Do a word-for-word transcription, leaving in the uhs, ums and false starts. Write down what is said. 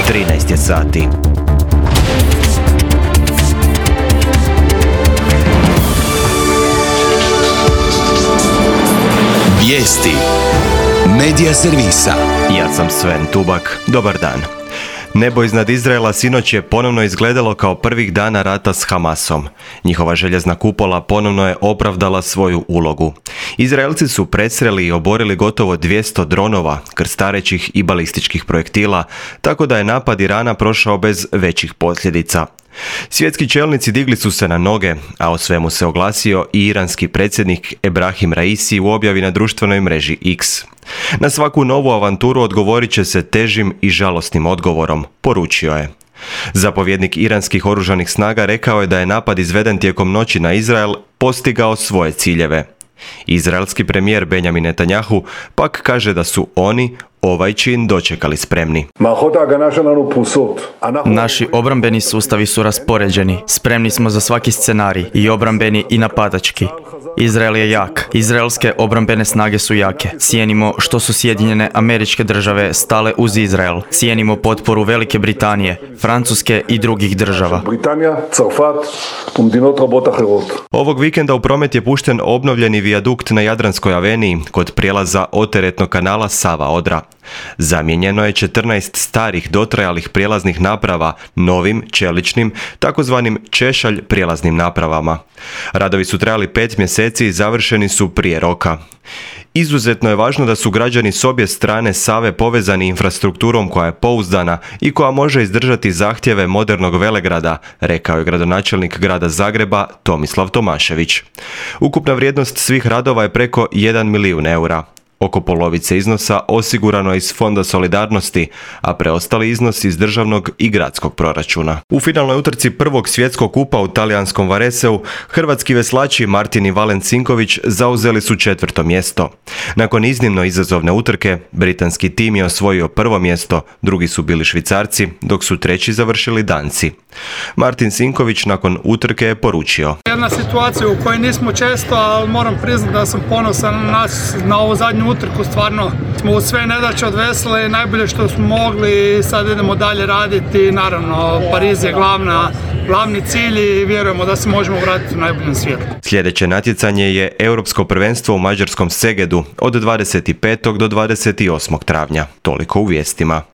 trinaest je sati. Vijesti Medija servisa. Ja sam Sven Tubak. Dobar dan. Nebo iznad Izraela sinoć je ponovno izgledalo kao prvih dana rata s Hamasom. Njihova željezna kupola ponovno je opravdala svoju ulogu. Izraelci su presreli i oborili gotovo dvjesto dronova, krstarećih i balističkih projektila, tako da je napad Irana prošao bez većih posljedica. Svjetski čelnici digli su se na noge, a o svemu se oglasio i iranski predsjednik Ebrahim Raisi u objavi na društvenoj mreži X. Na svaku novu avanturu odgovorit će se težim i žalosnim odgovorom, poručio je. Zapovjednik iranskih oružanih snaga rekao je da je napad izveden tijekom noći na Izrael postigao svoje ciljeve. Izraelski premijer Benjamin Netanjahu pak kaže da su oni ovaj čin dočekali spremni. Naši obrambeni sustavi su raspoređeni. Spremni smo za svaki scenarij, i obrambeni i napadački. Izrael je jak. Izraelske obrambene snage su jake. Cijenimo što su Sjedinjene Američke Države stale uz Izrael. Cijenimo potporu Velike Britanije, Francuske i drugih država. Ovog vikenda u promet je pušten obnovljeni vijadukt na Jadranskoj aveniji kod prijelaza oteretnog kanala Sava-Odra. Zamijenjeno je četrnaest starih dotrajalih prijelaznih naprava novim, čeličnim, takozvanim češalj prijelaznim napravama. Radovi su trajali pet mjeseci i završeni su prije roka. Izuzetno je važno da su građani s obje strane Save povezani infrastrukturom koja je pouzdana i koja može izdržati zahtjeve modernog velegrada, rekao je gradonačelnik grada Zagreba Tomislav Tomašević. Ukupna vrijednost svih radova je preko jedan milijun eura. Oko polovice iznosa osigurano je iz Fonda solidarnosti, a preostali iznos iz državnog i gradskog proračuna. U finalnoj utrci prvog svjetskog kupa u talijanskom Vareseu, hrvatski veslači Martin i Valen Sinković zauzeli su četvrto mjesto. Nakon iznimno izazovne utrke, britanski tim je osvojio prvo mjesto, drugi su bili Švicarci, dok su treći završili Danci. Martin Sinković nakon utrke je poručio: Jedna situacija u kojoj nismo često, ali moram priznati da sam ponosan na nas, na ovu zadnju utrku. Stvarno smo u sve nedaće odvesili najbolje što smo mogli i sad idemo dalje raditi. Naravno, Pariz je glavna, glavni cilj i vjerujemo da se možemo vratiti u najboljem svijetu. Sljedeće natjecanje je Europsko prvenstvo u mađarskom Segedu od dvadeset petog do dvadeset osmog travnja. Toliko u vijestima.